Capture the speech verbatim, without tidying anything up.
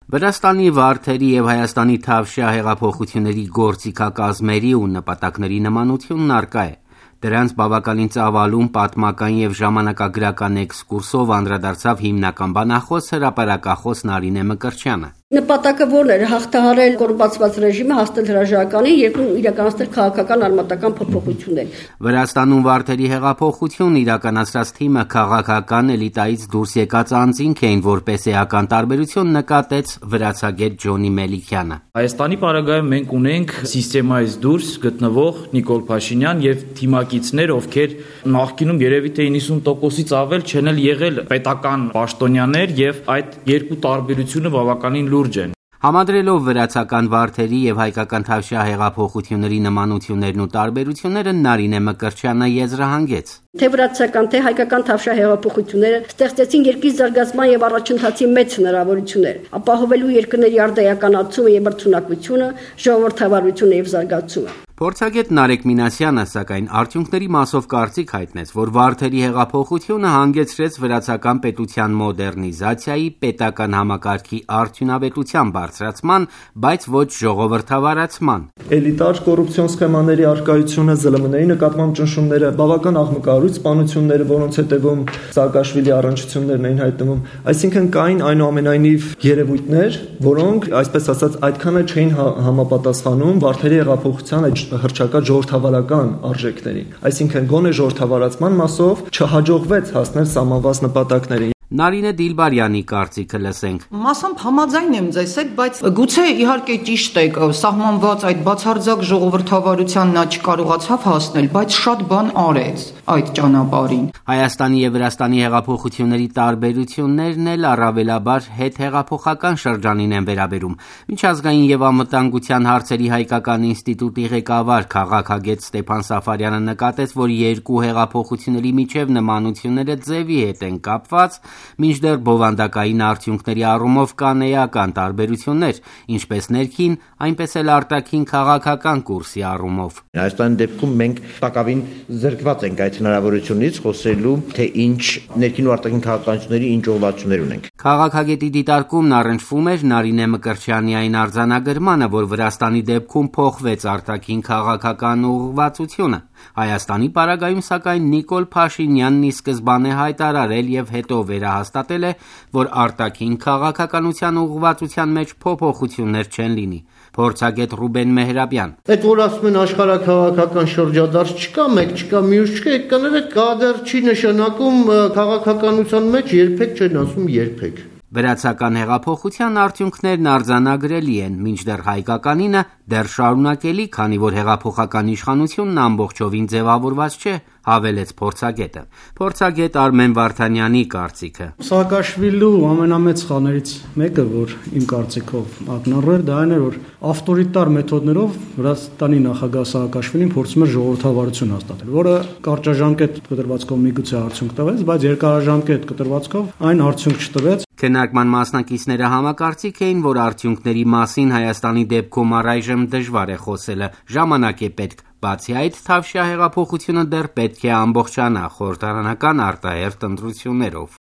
Վրաստանի վարդերի և Հայաստանի Թավշյա հեղափոխությունների գործիքակազմերի ու նպատակների նմանությունն առկա է։ Դրանց բավականին ծավալուն պատմական և ժամանակագրական էքսկուրսով անդրադարձավ հիմնական բանախոս, հրապարակախոս Նարինե Մկրտչյանը։ Նպատակը որն էր հաղթահարել կոռումպացված ռեժիմը, հասնել հրաժարականին և իրականացնել քաղաքական արմատական փոփոխություններ։ Վրաստանում վարդերի հեղափոխություն իրականացրած թիմը քաղաքական էլիտայից դուրս եկած անձինք էին, որպես էական տարբերություն նկատեց վրացագետ Ջոնի Մելիքյանը։ Հայաստանի պարագայում մենք ունենք սիստեմայից դուրս գտնվող Նիկոլ Փաշինյան և թիմակիցներ, ովքեր նախկինում երևի թե իննսուն տոկոսից ավել չեն էլ եղել պետական պաշտոնյաներ, եւ այդ երկու տարբերությունը բավականին լուրջ են։ Համադրելով վրացական վարդերի և հայկական Թավշյա հեղափոխությունների նմանություններն ու տարբերությունները Նարինե Մկրտչյանը եզրահանգեց։ Թե վրացական, թե հայկական Թավշյա հեղափոխությունները ստեղծեցին երկրի զարգացման և առաջընթացի մեծ հնարավորություններ, ապահովելու երկրների արդիականացումը և բրցունակությունը, ժողովրդավարությունը և զարգացումը։ Փորձագետ Նարեկ Մինասյանը, սակայն, արդյունքների մասով կարծիք հայտնեց, որ վարդերի հեղափոխությունը հանգեցրեց վրացական պետության մոդեռնիզացիայի, պետական համակարգի արդյունավետության բարձրացման, բայց ոչ ժողովրդավարացման։ Էլիտար կոռուպցիոն սխեմաների առկայությունը, ԶԼՄ-ների նկատմամբ ճնշումները, բավական աղմկահարույց սպանությունները, որոնց հետևում Սաակաշվիլի առնչություններն էին հայտնվում, այսինքն կային այնուամենայնիվ երևույթներ, որոնք, այսպես ասած, այդքան էլ չէին համապատասխանում վարդերի հեղափոխության հռչակած ժողովրդավարական արժեքներին, այսինքն գոնե ժողովրդավարացման մասով չհաջողվեց հասնել սահմանված նպատակներին։ Նարինե Դիլբարյանի կարծիքը լսենք։ Մասամբ համաձայն եմ ձեզ հետ, բայց գուցե իհարկե ճիշտ է, սահմանված այդ բացարձակ ժողովրդավարության նա չկարողացավ հասնել, բայց շատ բան արեց այդ ճանապարհին։ Հայաստանի և Վրաստանի հեղափոխությունների տարբերություններն էլ առավելաբար հետհեղափոխական շրջանին են վերաբերում։ Միջազգային և անվտանգության հարցերի հայկական ինստիտուտի ղեկավար քաղաքագետ Ստեփան Սաֆարյանը նկատեց, որ երկու հեղափոխությունների միջև նմանությունները ձևի հետ են կապված, մինչդեռ բովանդակային արդյունքների առումով կան էական տարբերություններ, ինչպես ներքին, այնպես էլ արտաքին քաղաքական կուրսի առումով։ Հայաստանի դեպքում մենք տակավին զրկված ենք այդ հնարավորությունից խոսելու, թե ինչ ներքին ու արտաքին քաղաքականությունների ինչ ուղղվածություններ ունենք։ Քաղաքագետի դիտարկումն առնչվում էր Նարինե Մկրտչյանի այն արձանագրմանը, որ Վրաստանի դեպքում փոխվեց արտաքին քաղաքական ուղղվածությունը։ Հայաստանի պարագայում, սակայն, Նիկոլ Փաշինյանն ի սկզբանե հայտարարել և հետո վերահաստատել է, որ արտաքին քաղաքականության ուղղվածության մեջ փոփոխություններ չեն լինի։ Փորձագետ Ռուբեն Մեհրաբյան։ Այդ որ ասում են աշխարհաքաղաքական շրջադարձ չկա, մեկ չկա, մյուս չկա, այդ կաները կա դեռ չի նշանակում քաղաքականության մեջ երբեք չեն ասում երբեք։ Վրացական հեղափոխության արդյունքներն արձանագրելի են, մինչդեռ հայկականինը դեռ շարունակելի, քանի որ հեղափոխական իշխանությունն ամբողջովին ձևավորված չէ, հավելեց փորձագետը։ Փորձագետ Արմեն Վարդանյանի կարծիքը։ Սաակաշվիլու ամենամեծ սխալներից մեկը, որ իմ կարծիքով ակնառու էր, դա այն էր, որ ավտորիտար մեթոդներով Վրաստանի նախագահ Սաակաշվիլին փորձում էր ժողովրդավարություն հաստատել, որը կարճաժամկետ կտրվածքով միգուցե արդյունք տվեց, բայց երկարաժամկետ կտրվածքով այն արդյունք չտվեց։ Քննարկման մասնակիցները համակարծիք էին, որ արդյունքների մասին Հայաստանի դեպքում առայժմ դժվար է խոսելը, ժամանակ է պետք։ Բացի այդ, Թավշյա հեղափոխությունը դեռ պետք է ամբողջանա խորհրդարանական արտահերթ ընտրություններով։